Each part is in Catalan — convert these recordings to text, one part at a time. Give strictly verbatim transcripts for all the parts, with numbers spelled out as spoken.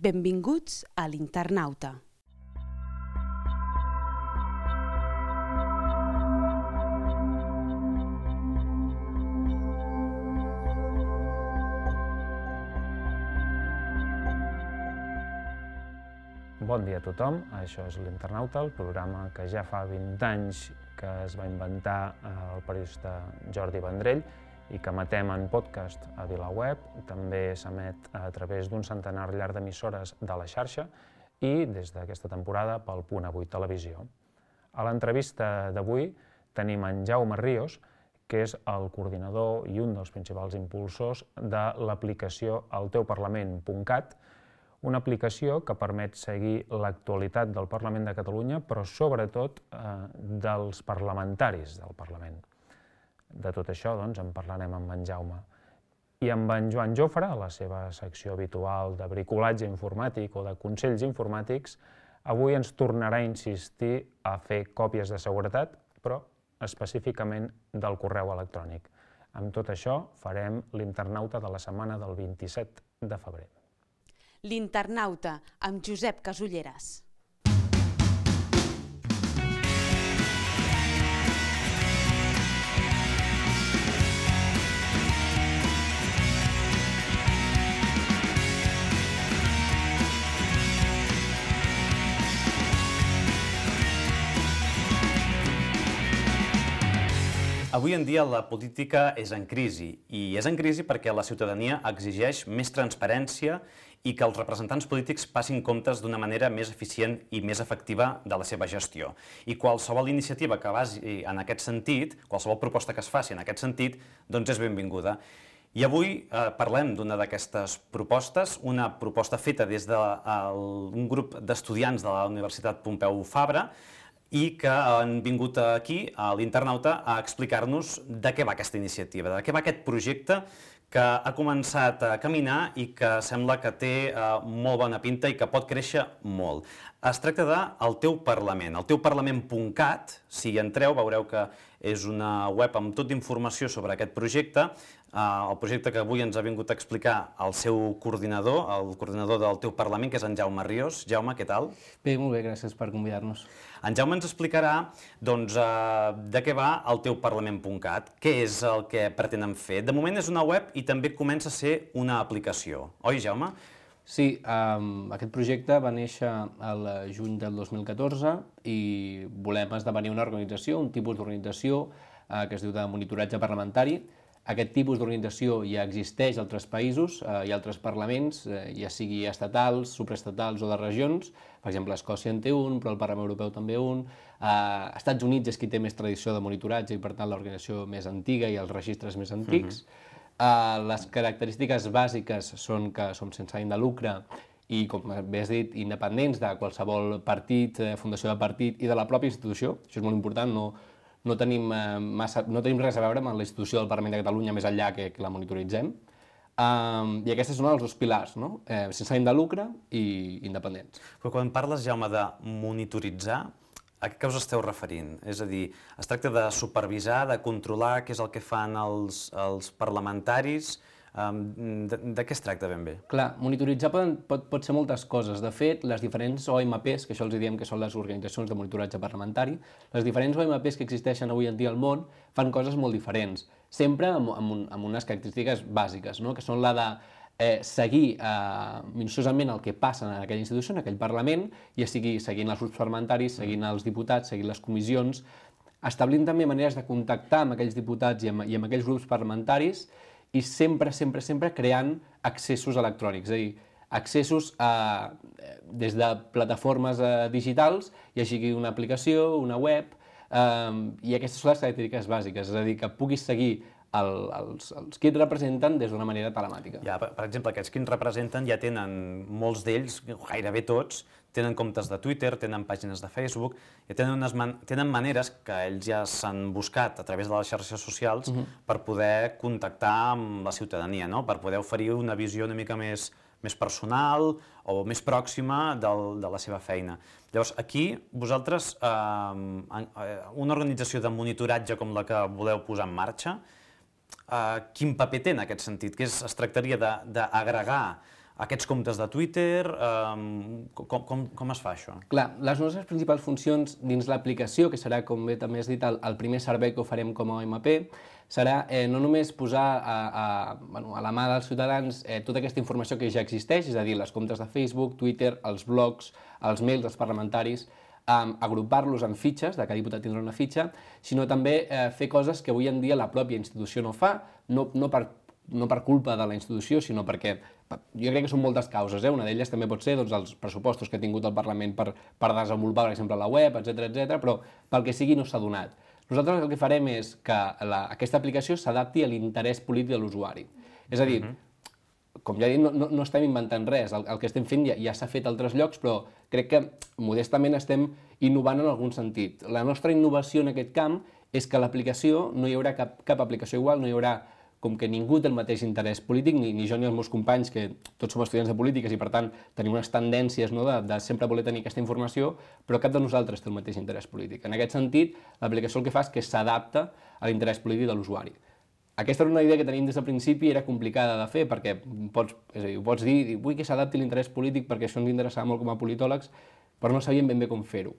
Benvinguts a l'Internauta. Bon dia a tothom, això és l'Internauta, el programa que ja fa vint anys que es va inventar el periodista Jordi Vendrell i que emetem en podcast a VilaWeb, també s'emet a través d'un centenar llarg d'emissores de la xarxa i des d'aquesta temporada pel Punt Avui Televisió. A l'entrevista d'avui tenim en Jaume Ríos, que és el coordinador i un dels principals impulsors de l'aplicació el teu parlament punt cat, una aplicació que permet seguir l'actualitat del Parlament de Catalunya, però sobretot eh, dels parlamentaris del Parlament. De tot això doncs, en parlarem amb en Jaume. I amb en Joan Jofre, a la seva secció habitual de bricolatge informàtic o de consells informàtics, avui ens tornarà a insistir a fer còpies de seguretat, però específicament del correu electrònic. Amb tot això farem l'Internauta de la setmana del vint-i-set de febrer. L'Internauta, amb Josep Casulleras. Avui en dia la política és en crisi, i és en crisi perquè la ciutadania exigeix més transparència i que els representants polítics passin comptes d'una manera més eficient i més efectiva de la seva gestió. I qualsevol iniciativa que vagi en aquest sentit, qualsevol proposta que es faci en aquest sentit, doncs és benvinguda. I avui eh, parlem d'una d'aquestes propostes, una proposta feta des d'un grup d'estudiants de la Universitat Pompeu Fabra, i que han vingut aquí, a l'Internauta, a explicar-nos de què va aquesta iniciativa, de què va aquest projecte que ha començat a caminar i que sembla que té molt bona pinta i que pot créixer molt. Es tracta de El teu Parlament, el teu parlament punt cat. Si hi entreu veureu que és una web amb tot d'informació sobre aquest projecte, el projecte que avui ens ha vingut a explicar el seu coordinador, el coordinador del teu Parlament, que és en Jaume Ríos. Jaume, què tal? Bé, molt bé, gràcies per convidar-nos. En Jaume ens explicarà doncs, de què va el teu parlament punt cat, què és el que pretenen fer. De moment és una web i també comença a ser una aplicació. Oi, Jaume? Sí, um, aquest projecte va néixer al juny del dos mil catorze i volem esdevenir una organització, un tipus d'organització uh, que es diu de monitoratge parlamentari. Aquest tipus d'organització ja existeix a altres països, eh, hi ha altres parlaments, eh, ja sigui estatals, supraestatals o de regions. Per exemple, Escòcia en té un, però el Parlament Europeu també un. Eh, Estats Units és qui té més tradició de monitoratge i, per tant, l'organització més antiga i els registres més antics. Uh-huh. Uh, les característiques bàsiques són que som sense ànim de lucre i, com bé has dit, independents de qualsevol partit, fundació de partit i de la pròpia institució. Això és molt important, no, no, tenim, uh, massa, no tenim res a veure amb la institució del Parlament de Catalunya més enllà que, que la monitoritzem. Um, I aquests són els dos pilars, no? Eh, sense ànim de lucre i independents. Però quan parles, Jaume, de monitoritzar, a què us esteu referint? És a dir, es tracta de supervisar, de controlar què és el que fan els, els parlamentaris? De, de què es tracta ben bé? Clar, monitoritzar pot, pot, pot ser moltes coses. De fet, les diferents O M Ps, que això els diem que són les organitzacions de monitoratge parlamentari, les diferents O M Ps que existeixen avui en dia al món fan coses molt diferents, sempre amb, amb, un, amb unes característiques bàsiques, no? Que són la de Eh, seguir eh, minuciosament el que passa en aquella institució, en aquell Parlament, ja sigui seguint els grups parlamentaris, seguint els diputats, seguint les comissions, establint també maneres de contactar amb aquells diputats i amb, i amb aquells grups parlamentaris i sempre, sempre, sempre creant accessos electrònics, és a dir, accessos a, des de plataformes eh, digitals, ja sigui una aplicació, una web, eh, i aquestes són les característiques bàsiques, és a dir, que puguis seguir El, els, els qui et representen des d'una manera telemàtica. Ja, per, per exemple, aquests qui ens representen ja tenen, molts d'ells, gairebé tots, tenen comptes de Twitter, tenen pàgines de Facebook, ja tenen, unes man tenen maneres que ells ja s'han buscat a través de les xarxes socials uh-huh. per poder contactar amb la ciutadania, no? Per poder oferir una visió una mica més, més personal o més pròxima del, de la seva feina. Llavors, aquí, vosaltres, eh, una organització de monitoratge com la que voleu posar en marxa, Uh, quin paper té en aquest sentit? Que és, es tractaria d'agregar aquests comptes de Twitter, um, com, com, com es fa això? Clar, les nostres principals funcions dins l'aplicació, que serà, com bé també has dit, el, el primer servei que oferem com a O M P, serà eh, no només posar a, a, bueno, a la mà dels ciutadans eh, tota aquesta informació que ja existeix, és a dir, les comptes de Facebook, Twitter, els blogs, els mails dels parlamentaris, eh, agrupar-los en fitxes, de cada diputat tindrà una fitxa, sinó també eh, fer coses que avui en dia la pròpia institució no fa, no, no per no per culpa de la institució, sinó perquè jo crec que són moltes causes, eh? Una d'elles també pot ser doncs, els pressupostos que ha tingut el Parlament per, per desenvolupar, per exemple, la web, etcètera, etcètera, però pel que sigui no s'ha donat. Nosaltres el que farem és que la, aquesta aplicació s'adapti a l'interès polític de l'usuari. És a dir, uh-huh. com ja he dit, no, no, no estem inventant res, el, el que estem fent ja, ja s'ha fet a altres llocs, però crec que modestament estem innovant en algun sentit. La nostra innovació en aquest camp és que l'aplicació, no hi haurà cap, cap aplicació igual, no hi haurà com que ningú té el mateix interès polític, ni, ni jo ni els meus companys, que tots som estudiants de polítiques i per tant tenim unes tendències, no, de, de sempre voler tenir aquesta informació, però cap de nosaltres té el mateix interès polític. En aquest sentit, l'aplicació el que fa és que s'adapta a l'interès polític de l'usuari. Aquesta era una idea que tenim des del principi i era complicada de fer, perquè pots, és a dir, pots dir, vull que s'adapti l'interès polític perquè això ens interessava molt com a politòlegs, però no sabíem ben bé com fer-ho.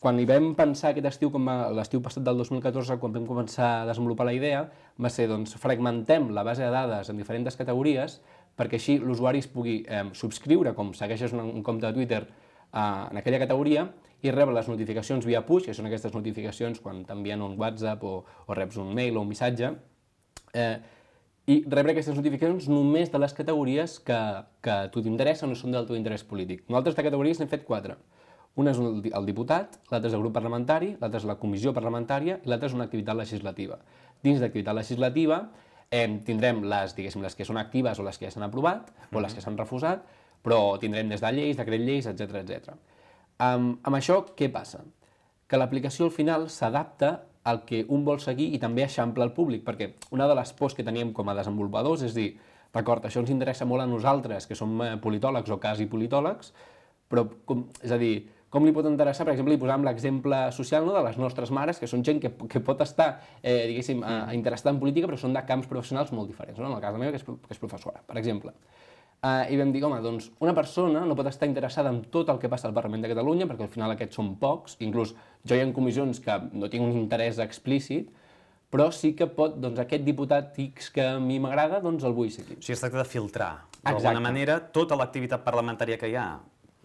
Quan hi vam pensar aquest estiu, com l'estiu passat del dos mil catorze, quan vam començar a desenvolupar la idea, va ser, doncs, fragmentem la base de dades en diferents categories perquè així l'usuari es pugui eh, subscriure, com segueixes un, un compte de Twitter eh, en aquella categoria, i rebre les notificacions via push, que són aquestes notificacions quan t'envien un WhatsApp o, o reps un mail o un missatge, eh, i rebre aquestes notificacions només de les categories que, que a tu t'interessen o són del teu interès polític. Nosaltres de categories n'hem fet quatre. Una és el diputat, l'altra és el grup parlamentari, l'altra és la comissió parlamentària i l'altra és una activitat legislativa. Dins d'activitat legislativa eh, tindrem les, diguéssim, les que són actives o les que ja s'han aprovat o les que s'han refusat, però tindrem des de lleis, decret lleis, etcètera, etcètera. Um, amb això, què passa? Que l'aplicació al final s'adapta al que un vol seguir i també eixampla al públic, perquè una de les pors que teníem com a desenvolupadors és dir, d'acord, això ens interessa molt a nosaltres, que som politòlegs o quasi politòlegs, però, com, és a dir, com li pot interessar, per exemple, li posàvem l'exemple social, no, de les nostres mares, que són gent que, que pot estar, eh, diguéssim, mm. interessada en política, però són de camps professionals molt diferents, no? En el cas de la meva, que és, que és professora, per exemple. Eh, I vam dir, home, doncs, una persona no pot estar interessada en tot el que passa al Parlament de Catalunya, perquè al final aquests són pocs, inclús jo hi ha comissions que no tinc un interès explícit, però sí que pot, doncs, aquest diputat X que a mi m'agrada, doncs el vull seguir. O sigui, es tracta de filtrar, d'alguna manera, tota l'activitat parlamentària que hi ha,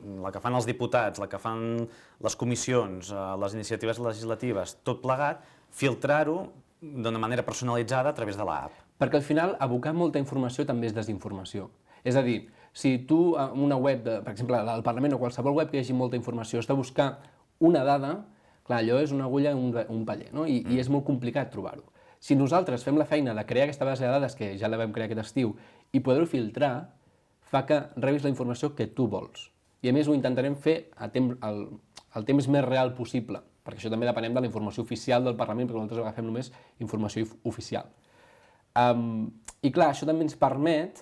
la que fan els diputats, la que fan les comissions, les iniciatives legislatives, tot plegat, filtrar-ho d'una manera personalitzada a través de l'app. Perquè al final abocar molta informació també és desinformació. És a dir, si tu en una web, de, per exemple, al Parlament o qualsevol web que hi hagi molta informació, has de buscar una dada, clar, allò és una agulla en un, un paller, no? I, mm. i és molt complicat trobar-ho. Si nosaltres fem la feina de crear aquesta base de dades, que ja la vam crear aquest estiu, i poder-ho filtrar, fa que rebis la informació que tu vols. I a més ho intentarem fer a temps, el, el temps més real possible, perquè això també depenem de la informació oficial del Parlament, perquè nosaltres agafem només informació oficial. Um, I clar, això també ens permet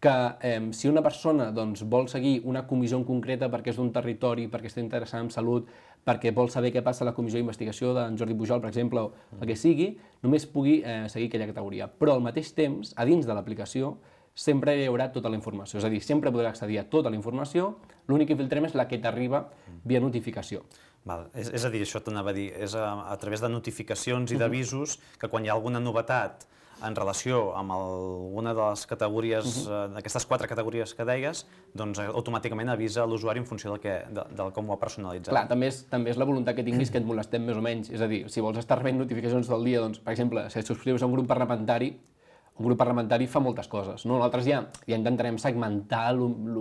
que eh, si una persona doncs, vol seguir una comissió en concreta perquè és d'un territori, perquè està interessada en salut, perquè vol saber què passa a la comissió d'investigació d'en Jordi Pujol, per exemple, o el que sigui, només pugui eh, seguir aquella categoria. Però al mateix temps, a dins de l'aplicació, sempre hi haurà tota la informació. És a dir, sempre podrà accedir a tota la informació, l'únic que filtrem és la que t'arriba via notificació. Val. És, és a dir, això t'anava a dir, és a, a través de notificacions i d'avisos que quan hi ha alguna novetat en relació amb alguna de les categories, uh-huh. eh, aquestes quatre categories que deies, doncs automàticament avisa l'usuari en funció del, que, de, del com ho ha personalitzat. Clar, també és, també és la voluntat que tinguis que et molestem més o menys. És a dir, si vols estar rebent notificacions del dia, doncs, per exemple, si et subscrius a un grup parlamentari, un grup parlamentari fa moltes coses, no? Nosaltres ja, ja intentarem segmentar el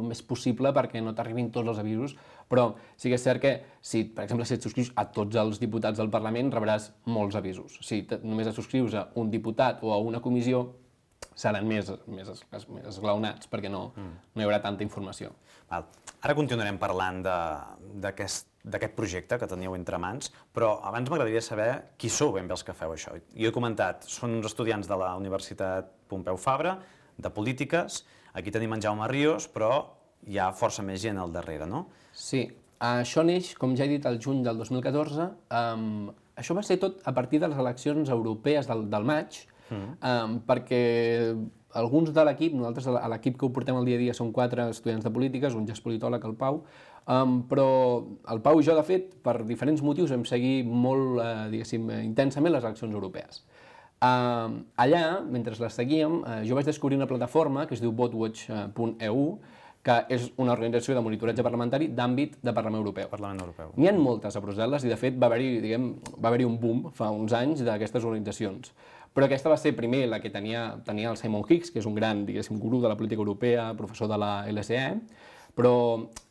més possible perquè no t'arribin tots els avisos, però sí que és cert que, si, per exemple, si et subscrius a tots els diputats del Parlament, rebràs molts avisos. Si només et subscrius a un diputat o a una comissió, seran més, més, més esglaonats, perquè no, mm. no hi haurà tanta informació. Val. Ara continuarem parlant d'aquest d'aquest projecte que teníeu entre mans, però abans m'agradaria saber qui sou ben bé els que feu això. Jo he comentat, són uns estudiants de la Universitat Pompeu Fabra, de Polítiques, aquí tenim en Jaume Ríos, però hi ha força més gent al darrere, no? Sí, això neix, com ja he dit, el juny del dos mil catorze. Um, això va ser tot a partir de les eleccions europees del, del maig, um, perquè alguns de l'equip, nosaltres a l'equip que ho portem al dia a dia són quatre estudiants de polítiques, un ja és politòleg, el Pau, um, però el Pau i jo, de fet, per diferents motius vam seguir molt, uh, diguéssim, intensament les eleccions europees. Uh, allà, mentre les seguíem, uh, jo vaig descobrir una plataforma que es diu votewatch punt e u, que és una organització de monitoratge parlamentari d'àmbit de Parlament Europeu. Parlament Europeu. N'hi ha moltes a Brussel·les i, de fet, va haver-hi, diguem, va haver-hi un boom fa uns anys d'aquestes organitzacions. Però aquesta va ser primer la que tenia, tenia el Simon Hicks, que és un gran, diguéssim, gurú de la política europea, professor de la L S E, però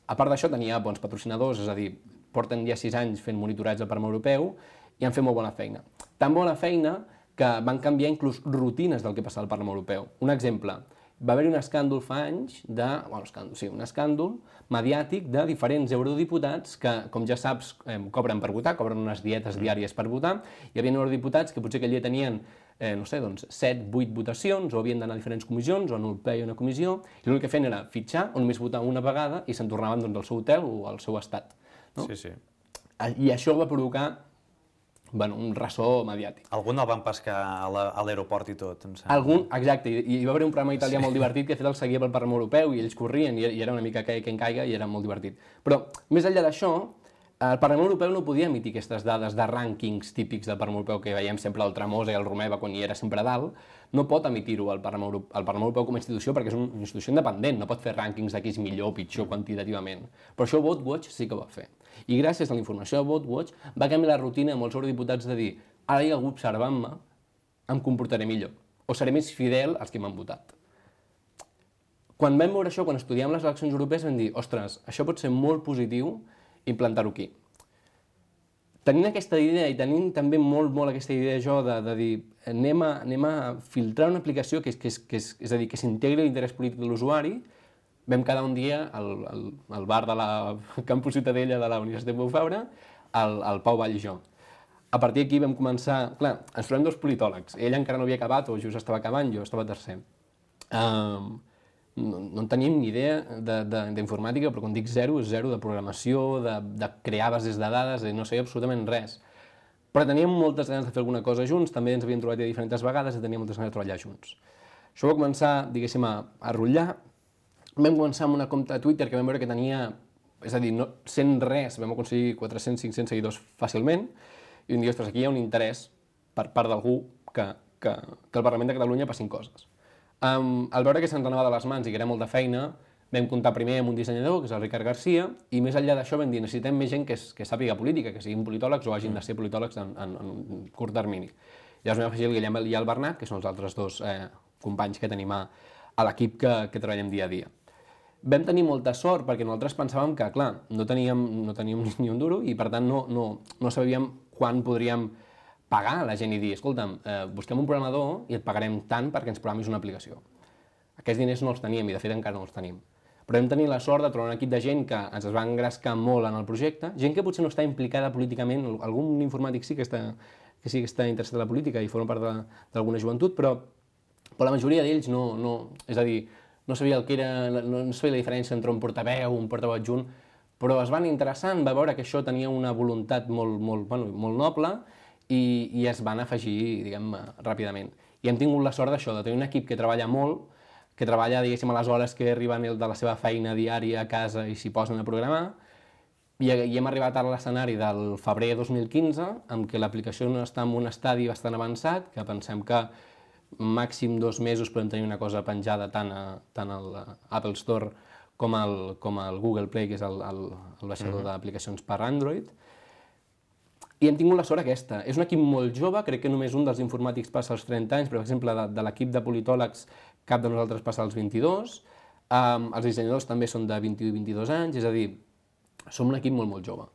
a part d'això tenia bons patrocinadors, és a dir, porten ja sis anys fent monitoratge al Parlament Europeu i han fet molt bona feina. Tan bona feina que van canviar inclús rutines del que passava al Parlament Europeu. Un exemple, va haver-hi un escàndol fa anys de, bueno, escàndol, sí, un escàndol mediàtic de diferents eurodiputats que, com ja saps, eh, cobren per votar, cobren unes dietes diàries per votar. Hi havia eurodiputats que potser aquell dia tenien, eh, no sé, doncs, set, vuit votacions, o havien d'anar a diferents comissions, o en un ple i una comissió, i l'únic que feien era fitxar o només votar una vegada i se'n tornaven doncs, al seu hotel o al seu estat. No? Sí, sí. I això va provocar bueno, un ressò mediàtic. Algun el van pescar a l'aeroport i tot, em sembla. Algun, exacte, i hi va haver un programa italià sí. molt divertit que de fet el seguia pel Parlament Europeu i ells corrien i era una mica que, que en caiga i era molt divertit. Però, més enllà d'això, el Parlament Europeu no podia emitir aquestes dades de rànquings típics del Parlament Europeu que veiem sempre el Tremosa i el Romeva quan hi era sempre a dalt, no pot emitir-ho al Parlament Europeu, al Parlament Europeu com a institució perquè és una institució independent, no pot fer rànquings de qui és millor o pitjor quantitativament. Però això VoteWatch sí que ho va fer. I gràcies a la informació de VoteWatch va canviar la rutina de molts eurodiputats de dir ara hi ha algú observant-me, em comportaré millor, o seré més fidel als que m'han votat. Quan vam veure això, quan estudiàvem les eleccions europees, vam dir, ostres, això pot ser molt positiu implantar-ho aquí. Tenint aquesta idea i tenint també molt, molt aquesta idea jo de, de dir anem a, anem a filtrar una aplicació que és, que és, que és, és a dir, que s'integri l'interès polític de l'usuari, vam quedar un dia al, al, al bar de la Campus Ciutadella de la Universitat Pompeu Fabra, el, el Pau Vall i jo. A partir d'aquí vam començar... Clar, ens trobem dos politòlegs. Ell encara no havia acabat, o just estava acabant, jo estava tercer. Um, no, no en teníem ni idea d'informàtica, però quan dic zero, és zero de programació, de, de crear bases de dades, de no sé absolutament res. Però teníem moltes ganes de fer alguna cosa junts, també ens havíem trobat ja diferents vegades i teníem moltes ganes de treballar junts. Això va començar, diguéssim, a, a rotllar. Vam començar amb una compte de Twitter que vam veure que tenia, és a dir, no, sent res, vam aconseguir quatre-cents cinc-cents seguidors fàcilment, i vam dir, ostres, aquí hi ha un interès per part d'algú que, que, que el Parlament de Catalunya passin coses. Um, al veure que se'ns anava de les mans i que era molta feina, vam comptar primer amb un dissenyador, que és el Ricard Garcia, i més enllà d'això vam dir, necessitem més gent que, es, que sàpiga política, que siguin politòlegs o hagin de ser politòlegs en, en, en un curt termini. Llavors vam afegir el Guillem i el Bernat, que són els altres dos eh, companys que tenim a, a l'equip que, que treballem dia a dia. Vam tenir molta sort perquè nosaltres pensàvem que, clar, no teníem, no teníem ni un duro i per tant no, no, no sabíem quan podríem pagar a la gent i dir, escolta'm, eh, busquem un programador i et pagarem tant perquè ens programis una aplicació. Aquests diners no els teníem i de fet encara no els tenim. Però vam tenir la sort de trobar un equip de gent que ens va engrescar molt en el projecte, gent que potser no està implicada políticament, algun informàtic sí que està, que sí que està interessat en la política i forma part d'alguna joventut, però, però la majoria d'ells no, no, és a dir, no sabia el que era, no, no sabia la diferència entre un portaveu o un portaveu adjunt, però es van interessant, va veure que això tenia una voluntat molt, molt, bueno, molt noble i, i es van afegir, diguem, ràpidament. I hem tingut la sort d'això, de tenir un equip que treballa molt, que treballa, diguéssim, a les hores que arriben de la seva feina diària a casa i s'hi posen a programar, i, i hem arribat a l'escenari del febrer dos mil quinze, amb què l'aplicació no està en un estadi bastant avançat, que pensem que màxim dos mesos podem tenir una cosa penjada tant, a, tant a l'Apple Store com al, com al Google Play, que és el, el, el baixador mm-hmm. d'aplicacions per Android. I hem tingut la sort aquesta. És un equip molt jove, crec que només un dels informàtics passa als trenta anys, però per exemple de, de l'equip de politòlegs cap de nosaltres passa als vint-i-dos, um, els dissenyadors també són de vint-i-u i vint-i-dos anys, és a dir, som un equip molt, molt jove.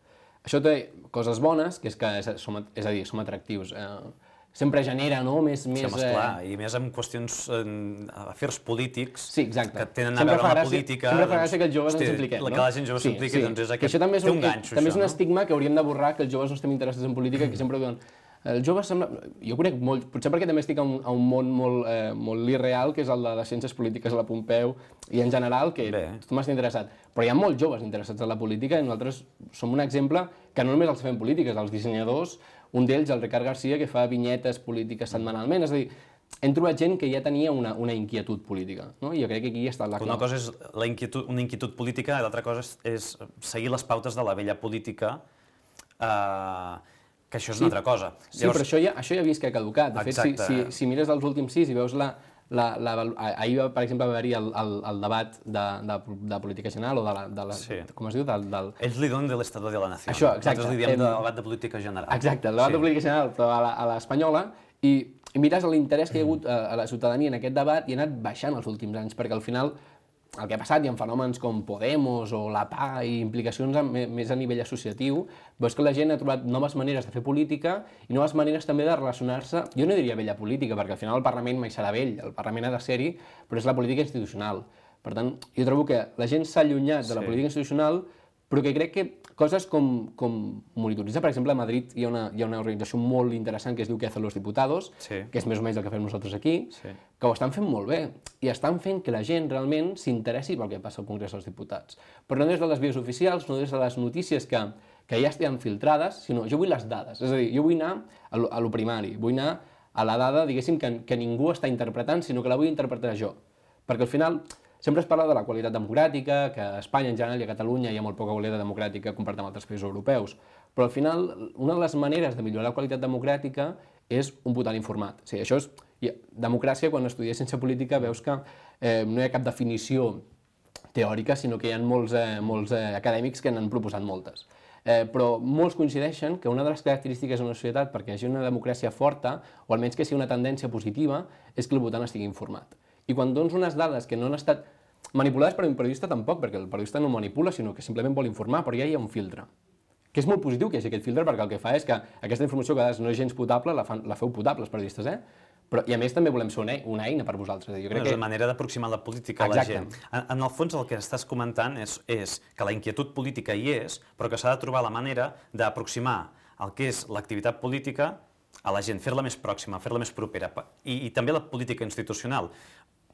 Això té coses bones, que és que és, som, és a dir, som atractius. Eh, sempre genera, no?, més... més sí, home, esclar, eh... i més amb qüestions, en afers polítics sí, exacte. Que tenen a sempre veure amb la política... Sempre fa gràcia que els joves ens impliquem, no? Que la gent jove sí, s'impliqui, sí. doncs és aquest... Això també és un, té un ganxo, també això, és un no? estigma que hauríem de borrar, que els joves no estem interessats en política, que sempre diuen... Els joves sembla... Jo conec molt... Potser perquè també estic a un, a un món molt, eh, molt irreal, que és el de les ciències polítiques a la Pompeu, i en general, que Bé. tothom està interessat. Però hi ha molts joves interessats en la política, i nosaltres som un exemple que no només els fem polítiques, els dissenyadors, un d'ells, el Ricard Garcia, que fa vinyetes polítiques setmanalment, és a dir, hem trobat gent que ja tenia una, una inquietud política, no? I jo crec que aquí està la clau. Una cosa és la inquietud, una inquietud política i l'altra cosa és, és seguir les pautes de la vella política, eh, que això és sí, una altra cosa. Sí, Llavors... però això ja, això ja he vist que ha caducat. De Exacte. fet, si, si, si mires els últims sis i veus la... La, la, ahir, per exemple, va haver-hi el, el, el debat de, de, de política general o de la... De la sí. Com es diu? Del, del... Ells li donen de l'Estado de la Nació. Això, exacte. Nosaltres li diem de debat de política general. Exacte, el debat sí. de política general, però a l'espanyola, i, i mires l'interès que hi ha hagut a, a la ciutadania en aquest debat i ha anat baixant els últims anys, perquè al final el que ha passat, hi ha fenòmens com Podemos o la P A i implicacions més a nivell associatiu, veus que la gent ha trobat noves maneres de fer política i noves maneres també de relacionar-se, jo no diria vella política, perquè al final el Parlament mai serà vell, el Parlament ha de ser-hi, però és la política institucional. Per tant, jo trobo que la gent s'ha allunyat de la sí. política institucional, però que crec que coses com, com monitoritzar, per exemple, a Madrid hi ha, una, hi ha una organització molt interessant que es diu Que hacen los diputados, sí. que és més o menys el que fem nosaltres aquí, sí. que ho estan fent molt bé, i estan fent que la gent realment s'interessi pel que passa al Congrés dels Diputats. Però no des de les vies oficials, no des de les notícies que, que ja estan filtrades, sinó jo vull les dades. És a dir, jo vull anar a lo, a lo primari, vull anar a la dada, diguéssim, que, que ningú està interpretant, sinó que la vull interpretar jo. Perquè al final sempre es parla de la qualitat democràtica, que a Espanya en general i a Catalunya hi ha molt poca qualitat democràtica comparat amb altres països europeus, però al final una de les maneres de millorar la qualitat democràtica és un votant informat. O sigui, això és... Democràcia, quan estudies ciència política, veus que eh, no hi ha cap definició teòrica, sinó que hi ha molts, eh, molts eh, acadèmics que n'han proposat moltes. Eh, però molts coincideixen que una de les característiques d'una societat perquè hi hagi una democràcia forta, o almenys que sigui una tendència positiva, és que el votant estigui informat. I quan dones unes dades que no han estat manipulades per un periodista tampoc, perquè el periodista no manipula, sinó que simplement vol informar, però ja hi ha un filtre. Que és molt positiu que hi hagi aquest filtre, perquè el que fa és que aquesta informació que a vegades no és gens potable, la, fan, la feu potable els periodistes, eh? Però, i a més també volem ser una, una eina per vosaltres. Jo crec no, és que... una manera d'aproximar la política a la gent. En, en el fons el que estàs comentant és, és que la inquietud política hi és, però que s'ha de trobar la manera d'aproximar el que és l'activitat política a la gent, fer-la més pròxima, fer-la més propera, i, i també la política institucional.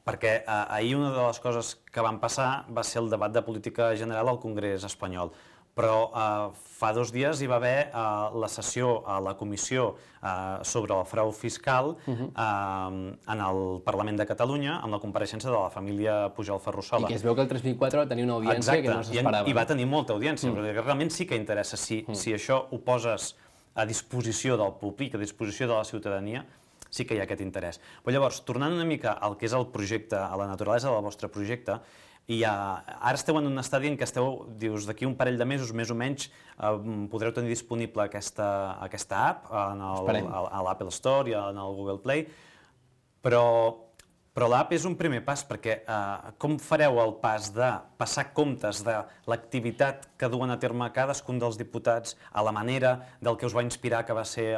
Perquè eh, ahir una de les coses que van passar va ser el debat de política general al Congrés espanyol. Però eh, fa dos dies hi va haver eh, la sessió a la comissió eh, sobre el frau fiscal uh-huh. eh, en el Parlament de Catalunya, amb la compareixença de la família Pujol Ferrusola. I que es veu que el tres mil quatre va tenir una audiència Exacte. que no s'esperava. I, I va tenir molta audiència, uh-huh. perquè realment sí que interessa. Si, uh-huh. si això ho poses a disposició del públic, a disposició de la ciutadania, sí que hi ha aquest interès. Però llavors, tornant una mica al que és el projecte, a la naturalesa del vostre projecte, i ja, ara esteu en un estadi en què esteu, dius, d'aquí un parell de mesos, més o menys, eh, podreu tenir disponible aquesta, aquesta app en el, a, a l'Apple Store i en el Google Play, però, però l'app és un primer pas, perquè eh, com fareu el pas de passar comptes de l'activitat que duen a terme cadascun dels diputats a la manera del que us va inspirar, que va ser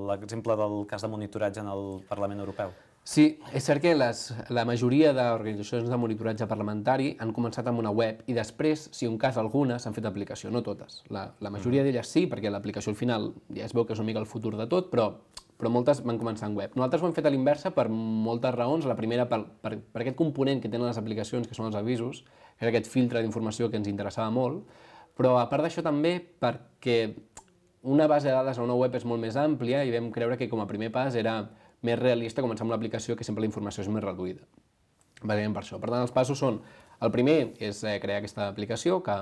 l'exemple del cas de monitoratge en el Parlament Europeu? Sí, és cert que les, la majoria d'organitzacions de monitoratge parlamentari han començat amb una web i després, si un cas algunes, han fet aplicació, no totes. La, la majoria d'elles sí, perquè l'aplicació al final ja es veu que és una mica el futur de tot, però, però moltes van començar en web. Nosaltres ho hem fet a l'inversa per moltes raons. La primera, per, per, per aquest component que tenen les aplicacions, que són els avisos, que és aquest filtre d'informació que ens interessava molt, però a part d'això també perquè una base de dades a una web és molt més àmplia i vam creure que com a primer pas era més realista començar amb l'aplicació, que sempre la informació és més reduïda. Bàsicament per això. Per tant, els passos són, el primer és eh, crear aquesta aplicació, que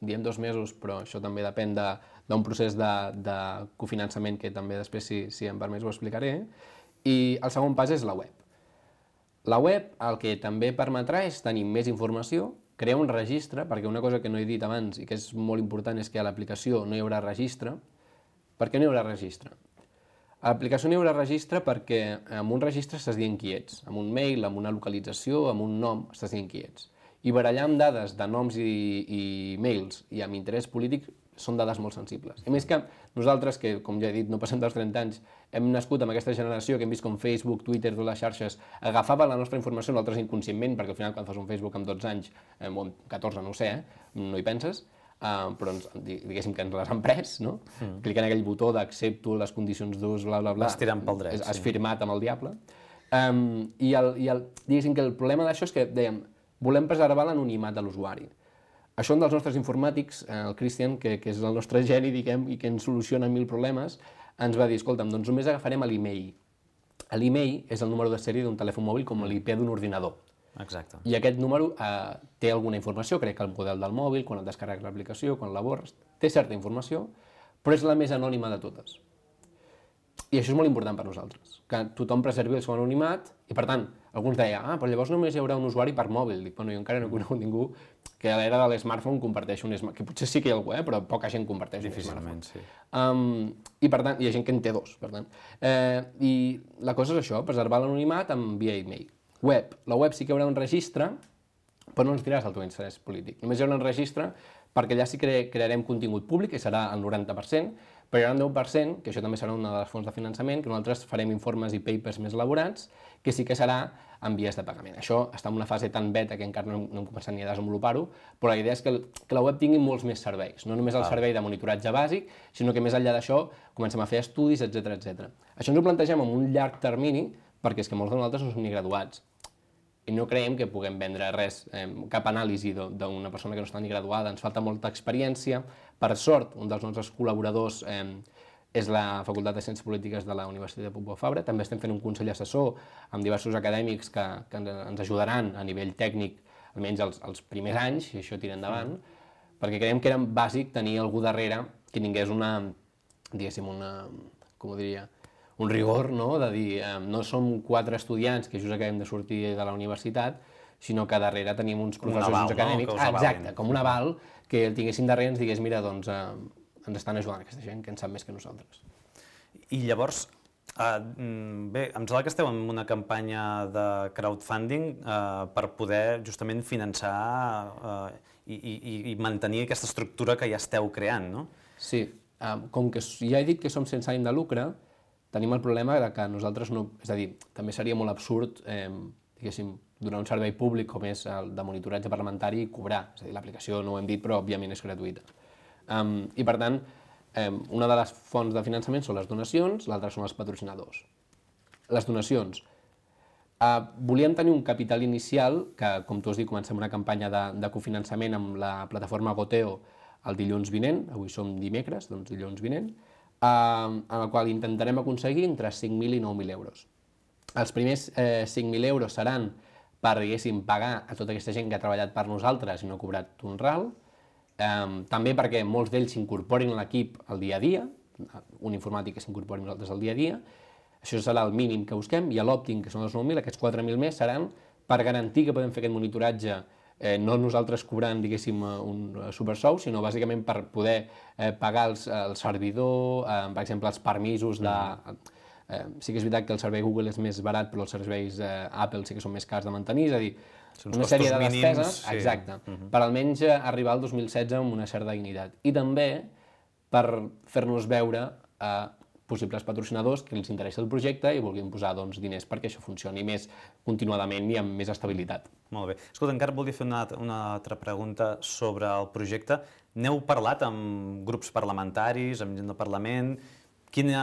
diem dos mesos, però això també depèn d'un procés de, de cofinançament que també després, si, si em permets, ho explicaré. I el segon pas és la web. La web el que també permetrà és tenir més informació, crear un registre, perquè una cosa que no he dit abans i que és molt important és que a l'aplicació no hi haurà registre. Per què no hi haurà registre? A l'aplicació no hi haurà registre perquè amb un registre estàs dient qui ets. Amb un mail, amb una localització, amb un nom, estàs dient qui ets. I barallar amb dades de noms i, i mails i amb interès polític són dades molt sensibles. I més que nosaltres, que com ja he dit, no passem dels trenta anys, hem nascut amb aquesta generació que hem vist com Facebook, Twitter, totes les xarxes, agafaven la nostra informació nosaltres inconscientment, perquè al final quan fas un Facebook amb dotze anys, eh, o amb catorze, no ho sé, eh, no hi penses, Uh, però ens, diguéssim que ens les han pres, no? Mm. Clicant en aquell botó d'accepto les condicions d'ús, bla, bla, bla. Vas tirant pel dret. Has sí. firmat amb el diable. Um, I, el, i el, diguéssim que el problema d'això és que, dèiem, volem preservar l'anonimat de l'usuari. Això un dels nostres informàtics, el Christian, que, que és el nostre geni, diguem, i que ens soluciona mil problemes, ens va dir, escolta'm, doncs només agafarem l'email. l'email és el número de sèrie d'un telèfon mòbil com l'I P d'un ordinador. Exacte. I aquest número eh, té alguna informació, crec que el model del mòbil, quan et descarregues l'aplicació, quan la borres, té certa informació, però és la més anònima de totes. I això és molt important per nosaltres, que tothom preservi el seu anonimat, i per tant, alguns deien, ah, però llavors només hi haurà un usuari per mòbil. Dic, bueno, jo encara no he conegut ningú que a l'era de l'smartphone comparteixi un smartphone, que potser sí que hi ha algú, eh, però poca gent comparteix un smartphone. Sí. Um, I per tant, hi ha gent que en té dos, per tant. Eh, I la cosa és això, preservar l'anonimat amb via e-mail. Web. La web sí que hi haurà un registre, però no ens diràs el teu interès polític. Només hi haurà un registre perquè allà sí que crearem contingut públic, que serà el noranta per cent, però hi haurà un deu per cent, que això també serà una de les fonts de finançament, que nosaltres farem informes i papers més elaborats, que sí que serà en vies de pagament. Això està en una fase tan beta que encara no hem, no hem començat ni a desenvolupar-ho, però la idea és que, que la web tingui molts més serveis, no només el servei de monitoratge bàsic, sinó que més enllà d'això comencem a fer estudis, etcètera etcètera. Això ens ho plantegem en un llarg termini, perquè és que molts de nosaltres no som ni graduats, i no creiem que puguem vendre res, eh, cap anàlisi d'una persona que no està ni graduada, ens falta molta experiència. Per sort, un dels nostres col·laboradors eh, és la Facultat de Ciències Polítiques de la Universitat de Pompeu Fabra. També estem fent un consell assessor amb diversos acadèmics que, que ens ajudaran a nivell tècnic, almenys els, els primers anys, i això tira endavant, perquè creiem que era bàsic tenir algú darrere que tingués una, diguéssim, una, com ho diria, un rigor, no?, de dir, eh, no som quatre estudiants que just acabem de sortir de la universitat, sinó que darrere tenim uns professors aval, uns acadèmics, no? ah, exacte, com un aval, que el tinguessin darrere i ens digués, mira, doncs eh, ens estan ajudant aquesta gent que en sap més que nosaltres. I llavors, eh, bé, em sembla que esteu en una campanya de crowdfunding eh, per poder justament finançar eh, i, i, i mantenir aquesta estructura que ja esteu creant, no? Sí, eh, com que ja he dit que som sense ànim de lucre, tenim el problema de que nosaltres no... És a dir, també seria molt absurd, eh, diguéssim, donar un servei públic com és el de monitoratge parlamentari i cobrar. És a dir, l'aplicació no ho hem dit, però òbviament és gratuïta. Um, I per tant, eh, una de les fonts de finançament són les donacions, l'altra són els patrocinadors. Les donacions. Eh, volíem tenir un capital inicial, que, com tu has dit, comencem una campanya de, de cofinançament amb la plataforma Goteo el dilluns vinent, avui som dimecres, doncs dilluns vinent, en el qual intentarem aconseguir entre cinc mil i nou mil euros. Els primers eh, cinc mil euros seran per, diguéssim, pagar a tota aquesta gent que ha treballat per nosaltres i no ha cobrat un ral, eh, també perquè molts d'ells s'incorporin a l'equip al dia a dia, un informàtic que s'incorpori a nosaltres al dia a dia, això serà el mínim que busquem, i a l'òptim, que són els nou mil, aquests quatre mil més seran per garantir que podem fer aquest monitoratge Eh, no nosaltres cobrant, diguéssim, un supersou, sinó bàsicament per poder eh, pagar els, el servidor, eh, per exemple, els permisos de... Eh, sí que és veritat que el servei Google és més barat, però els serveis eh, Apple sí que són més cars de mantenir, és a dir, una sèrie de despeses, sí. Exacte, uh-huh. per almenys arribar al dos mil setze amb una certa dignitat. I també per fer-nos veure a eh, possibles patrocinadors que els interessa el projecte i vulguin posar doncs, diners perquè això funcioni més continuadament i amb més estabilitat. Molt bé. Escolta, encara volia fer una, una altra pregunta sobre el projecte. N'heu parlat amb grups parlamentaris, amb gent del Parlament? Quina,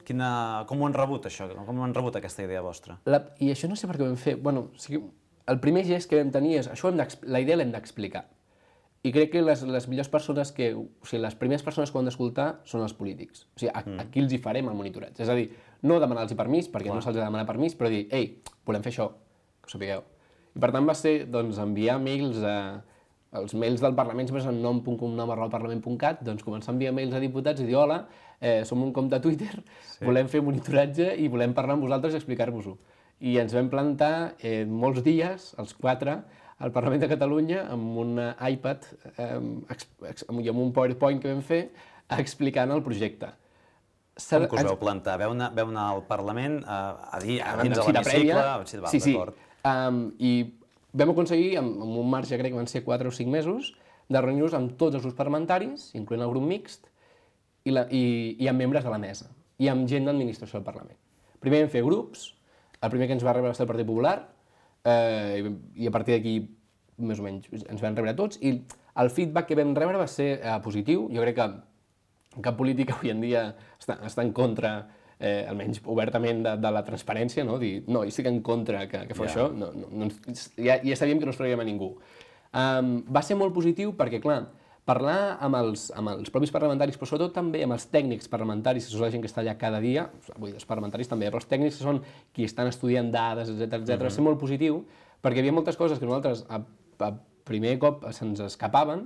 quina, com ho han rebut, això? Com ho han rebut, aquesta idea vostra? La, I això no sé per què ho vam fer. Bueno, o sigui, el primer gest que vam tenir és això, hem la idea l'hem d'explicar. I crec que les, les millors persones que... O sigui, les primeres persones que ho han d'escoltar són els polítics. O sigui, a, mm. aquí els hi farem el monitoratge. És a dir, no demanar-los permís, perquè Clar. no se'ls ha de demanar permís, però dir, ei, volem fer això, que ho sapigueu. I per tant va ser, doncs, enviar mails a... Els mails del Parlament sempre són nom punt cognom arroba parlament punt cat, doncs començar a enviar mails a diputats i dir, hola, eh, som un compte a Twitter, sí. volem fer monitoratge i volem parlar amb vosaltres i explicar-vos-ho. I ens vam plantar eh, molts dies, els quatre, al Parlament de Catalunya amb un iPad eh, i amb un PowerPoint que vam fer explicant el projecte. Com que us vau plantar? Veu anar, veu anar al Parlament a, a dir a dins de l'hemicicle? Sí, sí. Um, I vam aconseguir, amb, amb un marge, crec que van ser quatre o cinc mesos, de reunir-nos amb tots els grups parlamentaris, incloent el grup mixt, i, la, i, i amb membres de la mesa, i amb gent d'administració del Parlament. Primer vam fer grups, el primer que ens va rebre va ser el Partit Popular, eh, i a partir d'aquí, més o menys, ens van rebre tots, i el feedback que vam rebre va ser eh, positiu. Jo crec que cap política avui en dia està, està en contra, eh, almenys obertament, de, de la transparència, no? Dir, no, jo estic en contra que, que fa yeah. això, no, no, no, ja, ja sabíem que no es traiem a ningú. Um, va ser molt positiu perquè, clar, parlar amb els, amb els propis parlamentaris, però sobretot també amb els tècnics parlamentaris, que són la gent que està allà cada dia, vull dir, els parlamentaris també, però els tècnics que són qui estan estudiant dades, etcètera, etcètera, va ser molt positiu, perquè hi havia moltes coses que nosaltres a, a primer cop se'ns escapaven